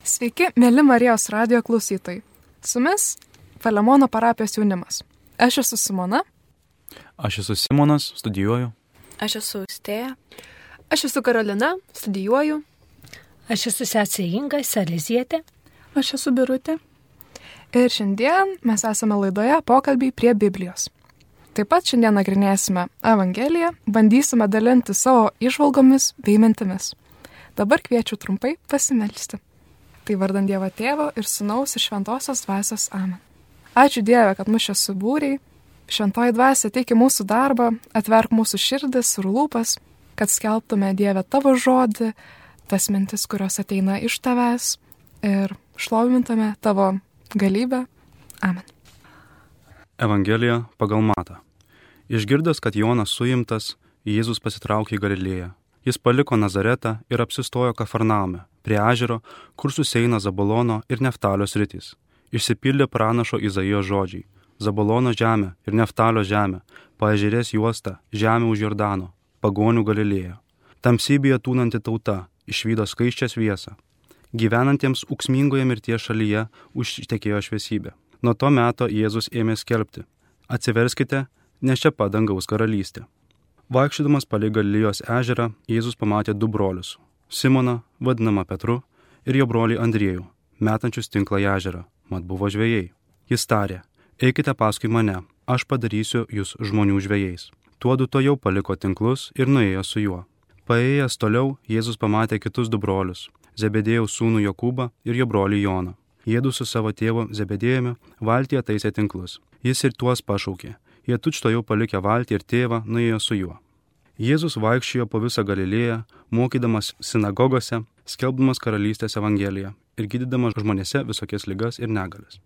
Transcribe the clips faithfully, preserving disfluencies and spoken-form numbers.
Sveiki, mėly Marijos radijo klausytojai. Su jumis Palemono parapijos jaunimas. Aš esu Simona. Aš esu Simonas, studijuoju. Aš esu Austėja. Aš esu Karolina, studijuoju. Aš esu sesė Inga, Salizietė. Aš esu Birutė. Ir šiandien mes esame laidoje pokalbiai prie Biblijos. Taip pat šiandien nagrinėsime Evangeliją, bandysime dalinti savo įžvalgomis bei mintimis. Dabar kviečiu trumpai pasimelsti. Tai vardan Dievo Tėvo ir Sūnaus ir Šventosios Dvasios. Amen. Ačiū Dieve, kad mus čia subūrei. Šventoji Dvasia teiki mūsų darbą, atverk mūsų širdis ir lūpas, kad skelbtume Dieve tavo žodį, tas mintis, kurios ateina iš tavęs ir šlovintume tavo galybę. Amen. Evangelija pagal Matą. Išgirdęs, kad Jonas suimtas, Jėzus pasitraukė į Galilėją. Jis paliko Nazaretą ir apsistojo Kafarnaume, prie ežero, kur susieina Zabolono ir Neftalio sritys. Išsipildė pranašo Izaijo žodžiai. Zabolono žemė ir Neftalio žemė, paežerės juosta, žemė už Jordano, pagonių Galilėja. Tamsybėje tūnanti tauta, išvydo skaisčią šviesą. Gyvenantiems ūksmingoje mirties šalyje užtekėjo šviesybė. Nuo to meto Jėzus ėmė skelbti: atsiverskite, nes čia pat dangaus karalystė. Vaikščiodamas palei Galilėjos ežerą, Jėzus pamatė du brolius - Simoną, vadinamą Petru, ir jo brolį Andriejų, metančius tinklą į ežerą, mat buvo žvejai. Jis tarė: eikite paskui mane, aš padarysiu jūs žmonių žvejais. Tuodu to jau paliko tinklus ir nuėjo su juo. Paėjęs toliau, Jėzus pamatė kitus du brolius - Zebedėjaus sūnų Jokūbą ir jo brolį Joną. Jiedu su savo tėvu Zebedėjumi valtyje taisė tinklus. Jis ir tuos pašaukė. Jie tučtuojau palikę valtį ir tėvą nuėjo su juo. Jėzus vaikščiojo po visą Galilėją, mokydamas sinagogose, skelbdamas karalystės evangeliją ir gydydamas žmonėse visokias ligas ir negalias.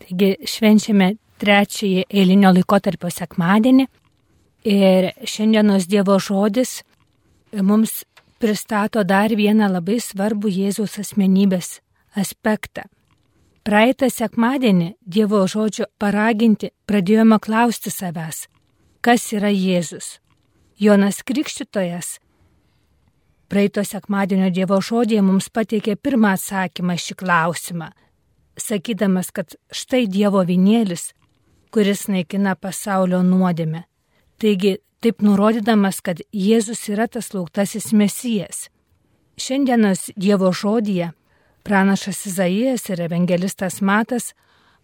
Taigi švenčiame trečiąjį eilinio laikotarpio sekmadienį ir šiandienos Dievo žodis mums pristato dar vieną labai svarbų Jėzaus asmenybės aspektą. Praeitą sekmadienį Dievo žodžio paraginti pradėjome klausti savęs, kas yra Jėzus. Jonas Krikštytojas praeito sekmadienio Dievo žodėje mums pateikė pirmą atsakymą šį klausimą, sakydamas, kad štai Dievo avinėlis, kuris naikina pasaulio nuodėmę. Taigi, taip nurodydamas, kad Jėzus yra tas lauktasis Mesijas. Šiandienos Dievo žodyje pranašas Izaijas ir evangelistas Matas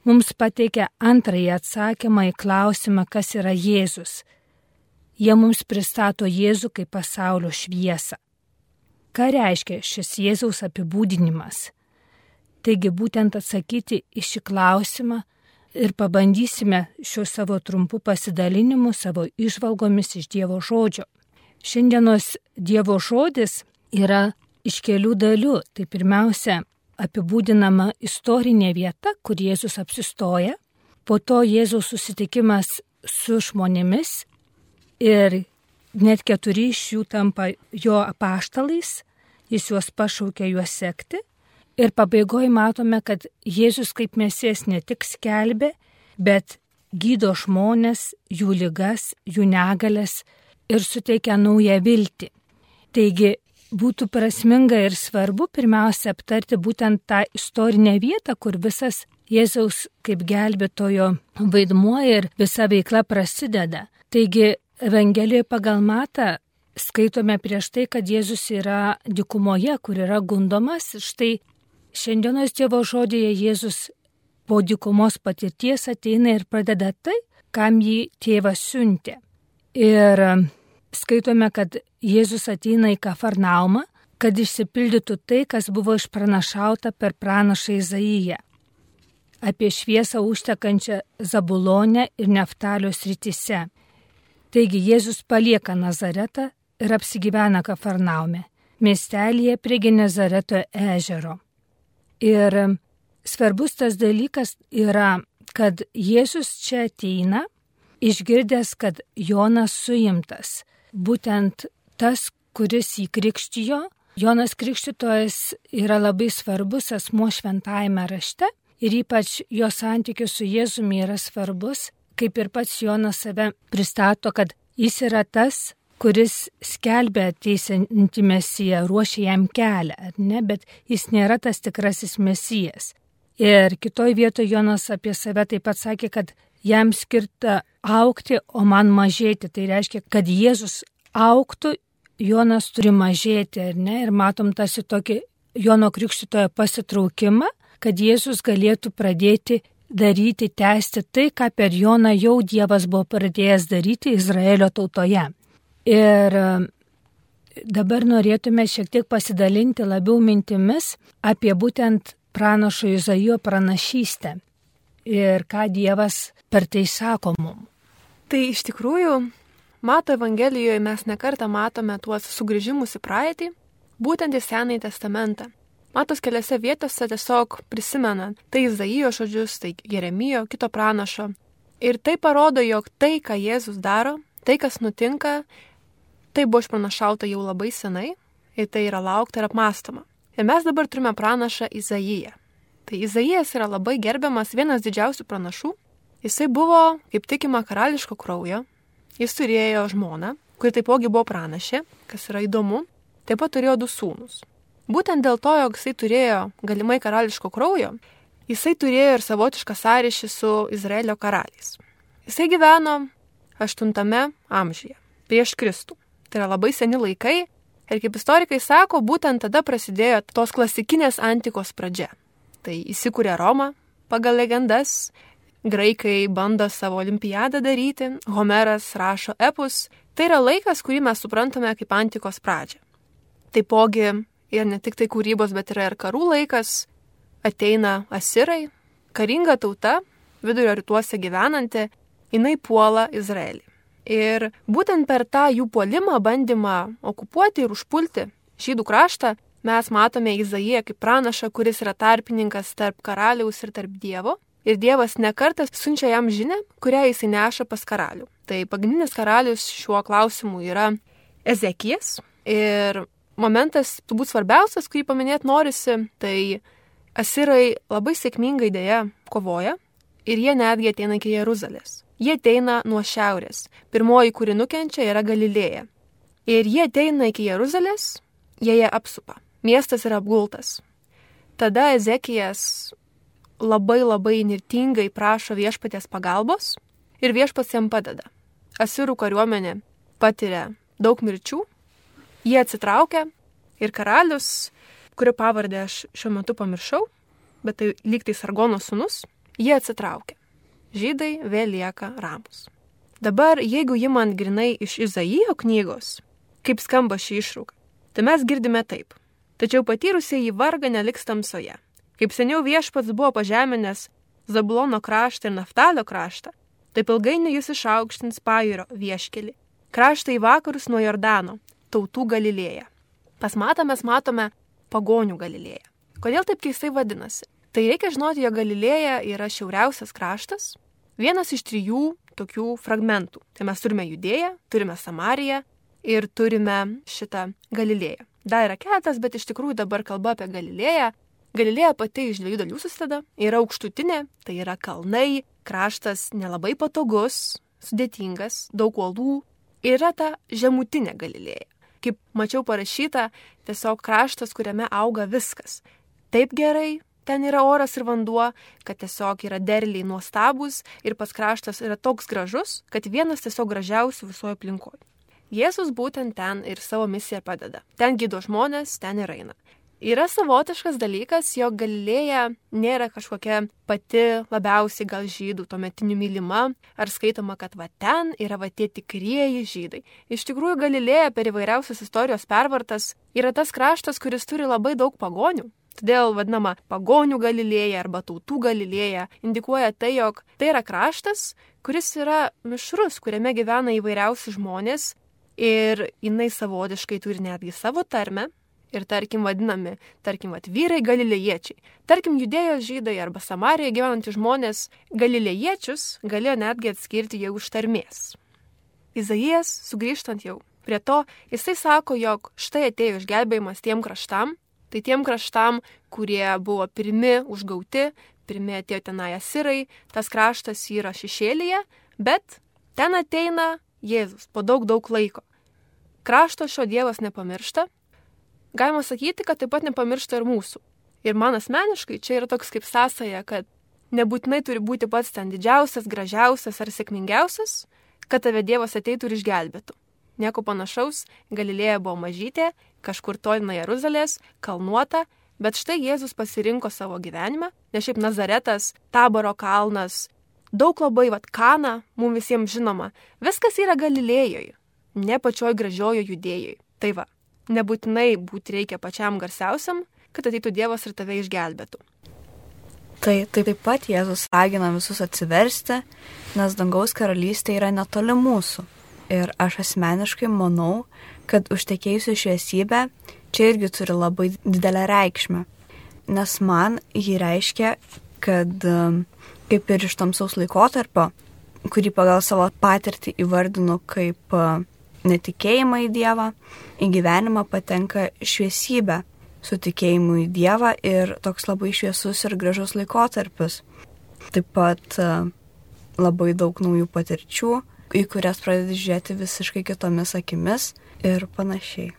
mums pateikia antrąjį atsakymą į klausimą, kas yra Jėzus. Jie mums pristato Jėzų kaip pasaulio šviesą. Ką reiškia šis Jėzaus apibūdinimas? Taigi būtent atsakyti į šį klausimą ir pabandysime šiuo savo trumpu pasidalinimu, savo įžvalgomis iš Dievo žodžio. Šiandienos Dievo žodis yra iš kelių dalių. Tai pirmiausia, apibūdinama istorinė vieta, kur Jėzus apsistoja, po to Jėzaus susitikimas su žmonėmis ir net keturi iš jų tampa jo apaštalais, jis juos pašaukia juos sekti ir pabaigoje matome, kad Jėzus kaip Mesijas ne tik skelbė, bet gydo žmonės, jų ligas, jų negalias ir suteikia naują viltį. Taigi, būtų prasminga ir svarbu pirmiausia aptarti būtent tą istorinę vietą, kur visas Jėzaus kaip gelbėtojo vaidmuo ir visa veikla prasideda. Taigi Evangelijoje pagal Matą skaitome prieš tai, kad Jėzus yra dykumoje, kur yra gundomas. Štai šiandienos Dievo žodėje Jėzus po dykumos patirties ateina ir pradeda tai, kam jį tėvas siuntė. Ir skaitome, kad Jėzus ateina į Kafarnaumą, kad išsipildytų tai, kas buvo išpranašauta per pranašą Izaiją apie šviesą užtekančią Zabulone ir Neftalio srityse. Taigi Jėzus palieka Nazaretą ir apsigyvena Kafarnaume, miestelyje prie Genezareto ežero. Ir svarbus tas dalykas yra, kad Jėzus čia ateina, išgirdęs, kad Jonas suimtas. Būtent tas, kuris jį krikštijo, Jonas Krikštytojas yra labai svarbus asmuo šventajame rašte ir ypač jo santykis su Jėzumi yra svarbus, kaip ir pats Jonas save pristato, kad jis yra tas, kuris skelbia ateisiantį Mesiją, ruošia jam kelią, ar ne, bet jis nėra tas tikrasis Mesijas. Ir kitoj vietoje Jonas apie save taip pat sakė, kad jam skirta aukti, o man mažėti. Tai reiškia, kad Jėzus auktų, Jonas turi mažėti, ar ne? Ir matom tarsi tokį Jono Krikštytojo pasitraukimą, kad Jėzus galėtų pradėti daryti, tęsti tai, ką per Joną jau Dievas buvo pradėjęs daryti Izraelio tautoje. Ir dabar norėtume šiek tiek pasidalinti labiau mintimis apie būtent pranašo Izaijo pranašystę ir ką Dievas per tai sako mums. Tai iš tikrųjų, Mato Evangelijoje mes nekartą matome tuos sugrįžimus į praeitį, būtent į Senąjį testamentą. Matos keliose vietose tiesiog prisimena tai Izaijo žodžius, tai Jeremijo, kito pranašo. Ir tai parodo, jog tai, ką Jėzus daro, tai, kas nutinka, tai buvo išpranašauta jau labai senai ir tai yra laukta ir apmąstoma. Ir mes dabar turime pranašą Izaiją. Tai Izaijas yra labai gerbiamas, vienas didžiausių pranašų. Jisai buvo, kaip tikima, karališko kraujo. Jis turėjo žmoną, kuri taipogi buvo pranašė, kas yra įdomu. Taip pat turėjo du sūnus. Būtent dėl to, jog jisai turėjo galimai karališko kraujo, jisai turėjo ir savotišką sąryšį su Izraelio karaliais. Jisai gyveno aštuntame amžiuje, prieš Kristų. Tai yra labai seni laikai ir kaip istorikai sako, būtent tada prasidėjo tos klasikinės antikos pradžia. Tai įsikūrė Roma pagal legendas, graikai bando savo olimpiadą daryti, Homeras rašo epus. Tai yra laikas, kurį mes suprantame kaip antikos pradžią. Taipogi ir ne tik tai kūrybos, bet yra ir karų laikas. Ateina asirai, karinga tauta, vidurio rytuose gyvenanti, jinai puola Izraelį. Ir būtent per tą jų puolimą, bandymą okupuoti ir užpulti žydų kraštą, mes matome Izaiją kaip pranašą, kuris yra tarpininkas tarp karaliaus ir tarp Dievo. Ir Dievas nekartas siunčia jam žinią, kurią jisai neša pas karalių. Tai pagrindinis karalius šiuo klausimu yra Ezekijas. Ir momentas, turbūt svarbiausias, kurį paminėti norisi, tai asirai labai sėkmingai dėja kovoja ir jie netgi ateina iki Jeruzalės. Jie ateina nuo šiaurės. Pirmoji, kuri nukenčia, yra Galilėja. Ir jie ateina iki Jeruzalės, jie ją apsupa. Miestas yra apgultas. Tada Ezekijas labai labai nirtingai prašo viešpaties pagalbos ir viešpats jam padeda. Asirų kariuomenė patiria daug mirčių, jie atsitraukia ir karalius, kurio pavardę aš šiuo metu pamiršau, bet tai lyg tai Sargono sūnus, jie atsitraukia. Žydai vėl lieka ramus. Dabar, jeigu imant grinai iš Izaijo knygos, kaip skamba ši išrauka, tai mes girdime taip. Tačiau patyrusieji vargą neliks tamsoje. Kaip seniau viešpats buvo pažeminęs Zabulono kraštą ir Naftalio kraštą, taip ilgainiui jis išaukštins Pajūrio vieškelį, kraštą į vakarus nuo Jordano, tautų Galilėją. Pas Matą mes matome pagonių Galilėją. Kodėl taip keistai vadinasi? Tai reikia žinoti, jog Galilėja yra šiauriausias kraštas, vienas iš trijų tokių fragmentų. Tai mes turime Judėją, turime Samariją ir turime šitą Galilėją. Dar yra keletas, bet iš tikrųjų dabar kalba apie Galilėją. Galilėja pati iš dviejų dalių susideda, yra aukštutinė, tai yra kalnai, kraštas nelabai patogus, sudėtingas, daug uolų, yra ta žemutinė Galilėja. Kaip mačiau parašyta, tiesiog kraštas, kuriame auga viskas. Taip gerai, ten yra oras ir vanduo, kad tiesiog yra derliai nuostabus ir pats kraštas yra toks gražus, kad vienas tiesiog gražiausių visoje aplinkoje. Jėzus būtent ten ir savo misiją padeda. Ten gydo žmonės, ten ir eina. Yra savotiškas dalykas, jog Galilėja nėra kažkokia pati labiausiai gal žydų tuometinių mylima, ar skaitoma, kad va ten yra va tie tikrieji žydai. Iš tikrųjų, Galilėja per įvairiausias istorijos pervartas yra tas kraštas, kuris turi labai daug pagonių. Todėl vadinama pagonių Galilėja arba tautų Galilėja indikuoja tai, jog tai yra kraštas, kuris yra mišrus, kuriame gyvena įvairiausi žmonės ir jinai savotiškai turi netgi savo tarmę. Ir tarkim vadinami, tarkim, vat, vyrai galilėjiečiai. Tarkim, Judėjos žydai arba Samarijoje gyvenantys žmonės galilėjiečius galėjo netgi atskirti jau iš tarmės. Izaijas, sugrįžtant jau prie to, jisai sako, jog štai atėjo išgelbėjimas tiem kraštam, tai tiem kraštam, kurie buvo pirmi užgauti, pirmi atėjo tenai asirai, tas kraštas yra šešėlyje, bet ten ateina Jėzus po daug daug laiko. Krašto šio Dievas nepamiršta. Galima sakyti, kad taip pat nepamiršta ir mūsų. Ir man asmeniškai čia yra toks kaip sąsaja, kad nebūtinai turi būti pats ten didžiausias, gražiausias ar sėkmingiausias, kad tave Dievas ateitų ir išgelbėtų. Nieko panašaus, Galilėja buvo mažytė, kažkur toli nuo Jeruzalės, kalnuota, bet štai Jėzus pasirinko savo gyvenimą, nes šiaip Nazaretas, Taboro kalnas, daug labai, vat, Kana, mums visiems žinoma, viskas yra Galilėjoje, ne pačioj gražiojo Judėjoje. Tai va, nebūtinai būti reikia pačiam garsiausiam, kad ateitų Dievas ir tave išgelbėtų. Tai taip pat Jėzus ragina visus atsiversti, nes dangaus karalystė yra netoli mūsų. Ir aš asmeniškai manau, kad užtekėjusi šviesybė čia irgi turi labai didelę reikšmę. Nes man jį reiškia, kad kaip ir iš tamsaus laikotarpio, kurį pagal savo patirtį įvardinu kaip netikėjimą į Dievą, į gyvenimą patenka šviesybė su tikėjimu į Dievą ir toks labai šviesus ir gražus laikotarpis. Taip pat labai daug naujų patirčių, į kurias pradedi žiūrėti visiškai kitomis akimis ir panašiai.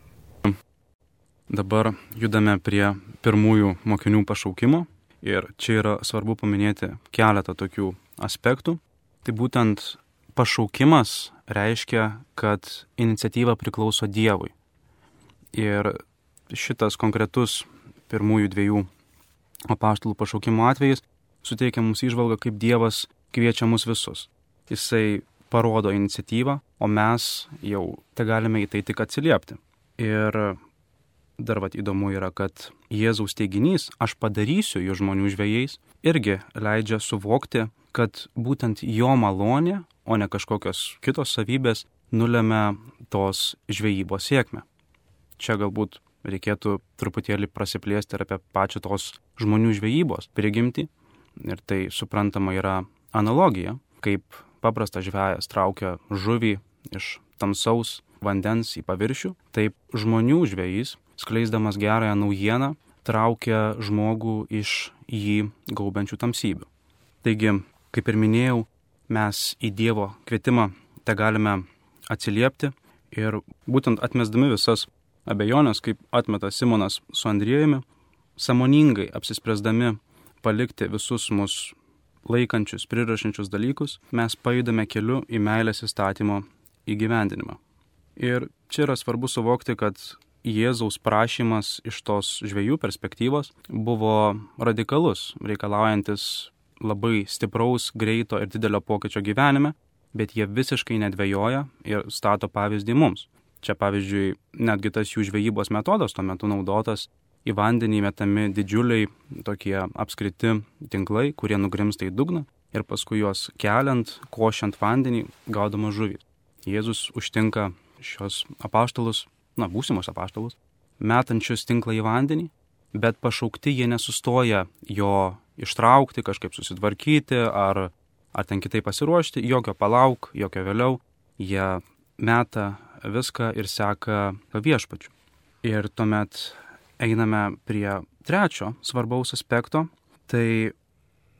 Dabar judame prie pirmųjų mokinių pašaukimo ir čia yra svarbu paminėti keletą tokių aspektų. Tai būtent pašaukimas reiškia, kad iniciatyva priklauso Dievui. Ir šitas konkretus pirmųjų dviejų apaštalų pašaukimo atvejis suteikia mums įžvalgą, kaip Dievas kviečia mus visus. Jisai parodo iniciatyvą, o mes jau te galime į tai tik atsiliepti. Ir dar vat įdomu yra, kad Jėzaus teiginys, aš padarysiu jų žmonių žvejais, irgi leidžia suvokti, kad būtent jo malonė, o ne kažkokios kitos savybės, nulemia tos žvejybos sėkmę. Čia galbūt reikėtų truputėlį prasiplėsti ir apie pačią tos žmonių žvejybos prigimtį. Ir tai suprantama yra analogija, kaip paprastas žvejas traukia žuvį iš tamsaus vandens į paviršių, taip žmonių žvejys, skleisdamas gerąją naujieną, traukia žmogų iš jį gaubiančių tamsybių. Taigi, kaip ir minėjau, mes į Dievo kvietimą te galime atsiliepti ir būtent atmesdami visas abejonės, kaip atmeta Simonas su Andriejumi, sąmoningai apsispręsdami palikti visus mus laikančius, prirašančius dalykus, mes pajudame keliu į meilės įstatymo įgyvendinimą. Ir čia yra svarbu suvokti, kad Jėzaus prašymas iš tos žvejų perspektyvos buvo radikalus, reikalaujantis labai stipraus, greito ir didelio pokyčio gyvenime, bet jie visiškai nedvejoja ir stato pavyzdį mums. Čia pavyzdžiui, netgi tas jų žvejybos metodas tuo metu naudotas, į vandenį metami didžiuliai tokie apskriti tinklai, kurie nugrimsta į dugną ir paskui juos keliant, košiant vandenį, gaudama žuvį. Jėzus užtinka šios apaštalus, na, būsimus apaštalus, metančius tinklą į vandenį, bet pašaukti jie nesustoja jo ištraukti, kažkaip susitvarkyti ar, ar ten kitaip pasiruošti, jokio palauk, jokio vėliau, jie meta viską ir seka viešpačiu. Ir tuomet einame prie trečio svarbaus aspekto, tai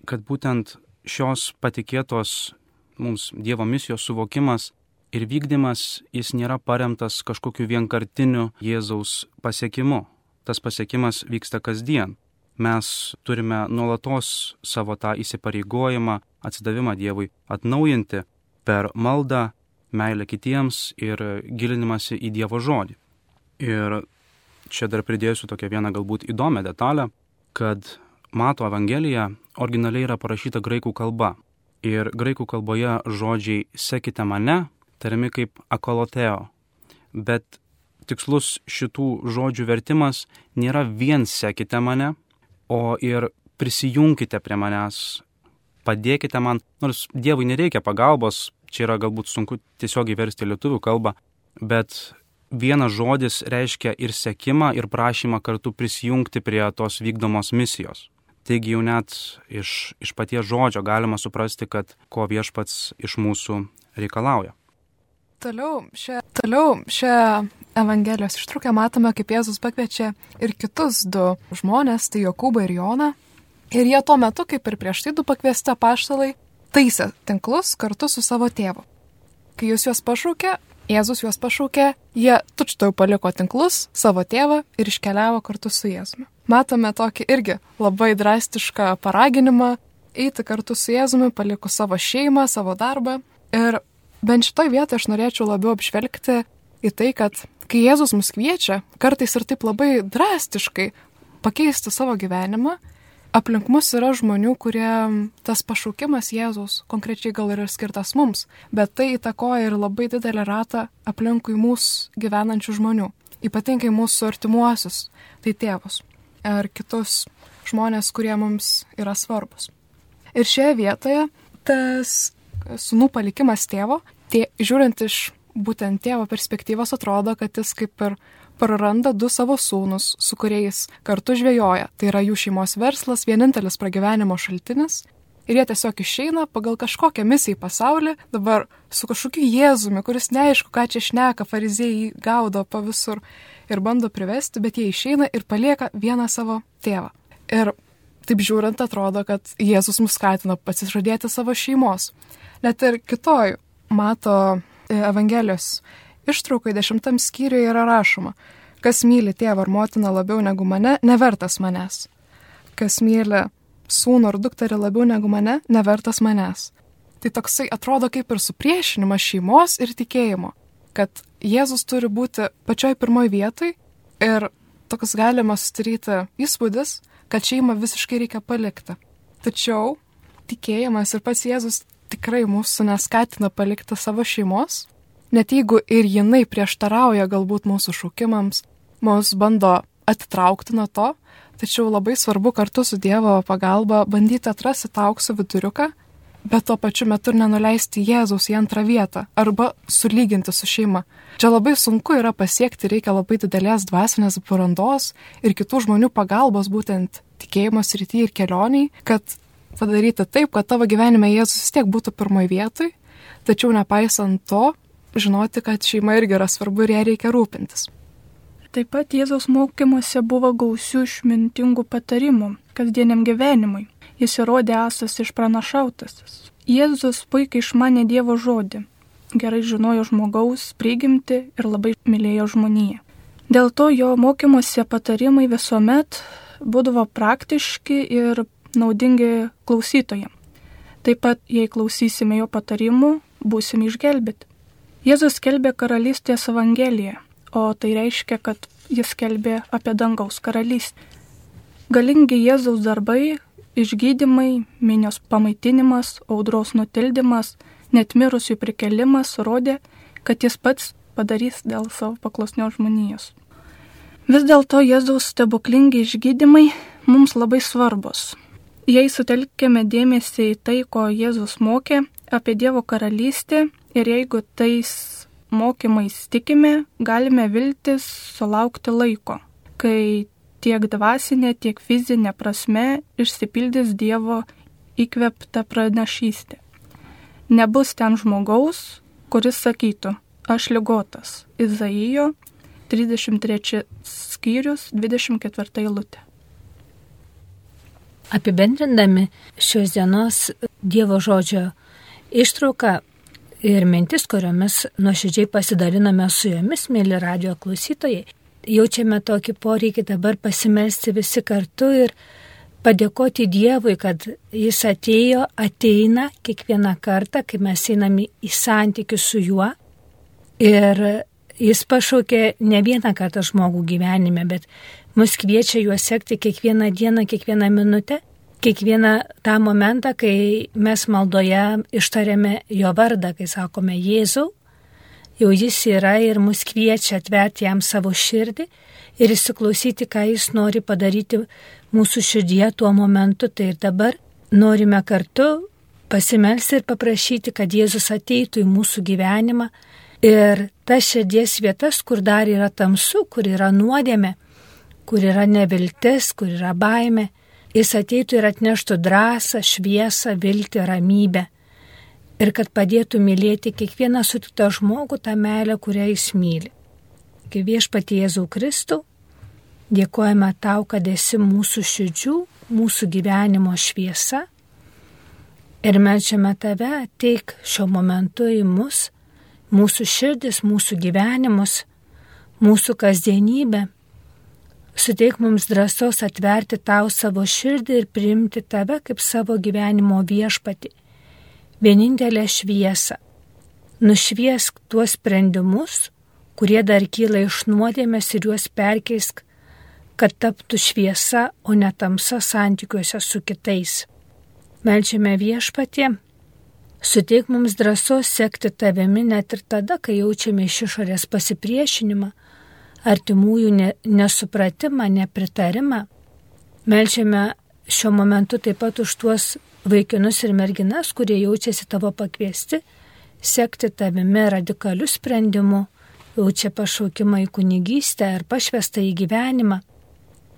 kad būtent šios patikėtos mums Dievo misijos suvokimas ir vykdymas, jis nėra paremtas kažkokiu vienkartiniu Jėzaus pasiekimu. Tas pasiekimas vyksta kasdien. Mes turime nuolatos savo tą įsipareigojimą, atsidavimą Dievui atnaujinti per maldą, meilę kitiems ir gilinimąsi į Dievo žodį. Ir čia dar pridėsiu tokią vieną galbūt įdomią detalę, kad Mato Evangelija originaliai yra parašyta graikų kalba. Ir graikų kalboje žodžiai sekite mane tariami kaip akoloteo. Bet tikslus šitų žodžių vertimas nėra vien sekite mane, o ir prisijunkite prie manęs, padėkite man, nors Dievui nereikia pagalbos, čia yra galbūt sunku tiesiogiai versti lietuvių kalbą, bet vienas žodis reiškia ir sekimą, ir prašymą kartu prisijungti prie tos vykdomos misijos. Taigi jau net iš, iš paties žodžio galima suprasti, kad ko viešpats iš mūsų reikalauja. Toliau šią, toliau šią Evangelijos ištrauką matome, kaip Jėzus pakviečia ir kitus du žmonės, tai Jokūbą ir Joną. Ir jie tuo metu, kaip ir prieš tai du pakviesti apaštalai, taisė tinklus kartu su savo tėvu. Kai jis juos pašaukė, Jėzus juos pašaukė, jie tučtuojau paliko tinklus, savo tėvą ir iškeliavo kartu su Jėzumi. Matome tokį irgi labai drastišką paraginimą eiti kartu su Jėzumi, palikus savo šeimą, savo darbą. Ir bent šitoj vietoje aš norėčiau labiau apžvelgti į tai, kad kai Jėzus mus kviečia, kartais ir taip labai drastiškai pakeisti savo gyvenimą, aplink mus yra žmonių, kurie tas pašaukimas Jėzaus konkrečiai gal ir skirtas mums, bet tai įtakoja ir labai didelį ratą aplinkui mūsų gyvenančių žmonių, ypatingai mūsų artimuosius, tai tėvus ar kitus žmonės, kurie mums yra svarbus. Ir šioje vietoje tas sūnų palikimas tėvo, tie, žiūrint iš būtent tėvo perspektyvos, atrodo, kad jis kaip ir praranda du savo sūnus, su kuriais kartu žvejoja. Tai yra jų šeimos verslas, vienintelis pragyvenimo šaltinis. Ir jie tiesiog išeina pagal kažkokią misiją į pasaulį, dabar su kažkokiu Jėzumi, kuris neaišku, ką čia šneka, fariziejai gaudo pa visur ir bando privesti, bet jie išeina ir palieka vieną savo tėvą. Ir taip žiūrint, atrodo, kad Jėzus mus skatina pasižadėti savo šeimos. Net ir kitoj Mato Evangelijos ištraukai dešimtam skyriuje yra rašoma: kas myli tėvą ar motiną labiau negu mane, nevertas manęs. Kas myli sūnų ar dukterį labiau negu mane, nevertas manęs. Tai toksai atrodo kaip ir supriešinimas šeimos ir tikėjimo, kad Jėzus turi būti pačioj pirmoj vietoj ir toks galima sudaryti įspūdis, kad šeimą visiškai reikia palikti. Tačiau tikėjimas ir pats Jėzus tikrai mūsų neskatina palikti savo šeimos, net jeigu ir jinai prieštarauja galbūt mūsų šaukimams, mus bando atitraukti nuo to, tačiau labai svarbu kartu su Dievo pagalba bandyti atrasti tą aukso viduriuką, bet tuo pačiu metu ir nenuleisti Jėzaus į antrą vietą arba sulyginti su šeima. Čia labai sunku yra pasiekti, reikia labai didelės dvasinės brandos ir kitų žmonių pagalbos būtent tikėjimo srityje ir kelioniai, kad padaryti taip, kad tavo gyvenime Jėzus vis tiek būtų pirmoj vietoj, tačiau nepaisant to, žinoti, kad šeima irgi yra svarbu ir ją reikia rūpintis. Taip pat Jėzaus mokymuose buvo gausių išmintingų patarimų kasdieniam gyvenimui. Jis įrodė esas išpranašautasis. Jėzus puikiai išmanė Dievo žodį, gerai žinojo žmogaus prigimtį ir labai mylėjo žmoniją. Dėl to jo mokymuose patarimai visuomet būdavo praktiški ir naudingi klausytojams. Taip pat, jei klausysime jo patarimų, būsime išgelbėti. Jėzus skelbė karalystės evangeliją, o tai reiškia, kad jis skelbė apie dangaus karalystę. Galingi Jėzaus darbai, išgydymai, minios pamaitinimas, audros nutildymas, net mirusių prikelimas rodė, kad jis pats padarys dėl savo paklusnios žmonijos. Vis dėlto Jėzaus stebuklingi išgydymai mums labai svarbus. Jei sutelkėme dėmesį į tai, ko Jėzus mokė apie Dievo karalystę ir jeigu tais mokymais tikime, galime viltis sulaukti laiko, kai tiek dvasinė, tiek fizinė prasme išsipildys Dievo įkvėpta pranašystė. Nebus ten žmogaus, kuris sakytų, aš ligotas. Izaijo trisdešimt trečias skyrius, dvidešimt ketvirta eilutė. Apibendrindami šios dienos Dievo žodžio ištrauką ir mintis, kuriomis nuoširdžiai pasidaliname su jomis, mėly radijo klausytojai, jaučiame tokį poreikį dabar pasimelsti visi kartu ir padėkoti Dievui, kad jis atėjo, ateina kiekvieną kartą, kai mes einame į santykių su juo. Ir jis pašaukė ne vieną kartą žmogų gyvenime, bet mus kviečia juos sekti kiekvieną dieną, kiekvieną minutę, kiekvieną tą momentą, kai mes maldoje ištarėme jo vardą, kai sakome Jėzau, jau jis yra ir mus kviečia atverti jam savo širdį ir įsiklausyti, ką jis nori padaryti mūsų širdyje tuo momentu. Tai ir dabar norime kartu pasimelsti ir paprašyti, kad Jėzus ateitų į mūsų gyvenimą ir tas širdies vietas, kur dar yra tamsu, kur yra nuodėmė, kur yra neviltis, kur yra baimė, jis ateitų ir atneštų drąsą, šviesą, viltį, ramybę. Ir kad padėtų mylėti kiekvieną sutiktą žmogų tą meilę, kurią jis myli. Kai Viešpatie Jėzau Kristau, dėkojame tau, kad esi mūsų širdžių, mūsų gyvenimo šviesa. Ir melčiame tave, ateik šiuo momentu į mus mūsų širdis, mūsų gyvenimus, mūsų kasdienybę. Suteik mums drąsos atverti tau savo širdį ir priimti tave kaip savo gyvenimo viešpatį, vienintelę šviesą. Nušviesk tuos sprendimus, kurie dar kyla iš nuodėmės, ir juos perkeisk, kad taptų šviesa, o ne tamsa santykiuose su kitais. Meldžiame Viešpatie, suteik mums drąsos sekti tavimi net ir tada, kai jaučiame iš išorės pasipriešinimą, artimųjų ne, nesupratimą, nepritarimą. Meldžiame šiuo momentu taip pat už tuos vaikinus ir merginas, kurie jaučiasi tavo pakviesti, sekti tavimi radikaliu sprendimu, jaučia pašaukimą į kunigystę ar pašvestą į gyvenimą.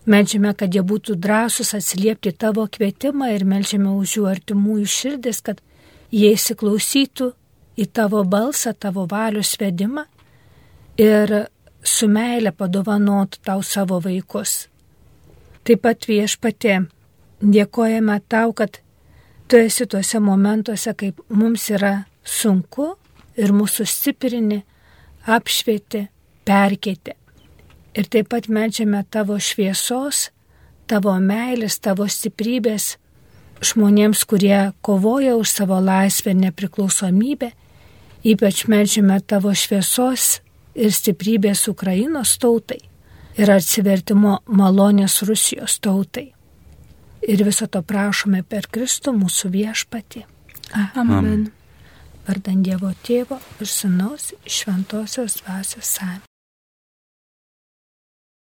Meldžiame, kad jie būtų drąsūs atsiliepti tavo kvietimą ir meldžiame už jų artimųjų širdis, kad jie įsiklausytų į tavo balsą, tavo valios vedimą ir su meile padovanotų tau savo vaikus. Taip pat Viešpatie, dėkojame tau, kad tu esi tuose momentuose, kaip mums yra sunku ir mūsų stiprini, apšvieti, perkeiti. Ir taip pat meldžiame tavo šviesos, tavo meilės, tavo stiprybės žmonėms, kurie kovoja už savo laisvę ir nepriklausomybę. Ypač meldžiame tavo šviesos ir stiprybės Ukrainos tautai ir atsivertimo malonės Rusijos tautai. Ir viso to prašome per Kristų mūsų Viešpatį. Amen. Vardan Dievo Tėvo ir Sūnaus Šventosios Dvasios. Amen.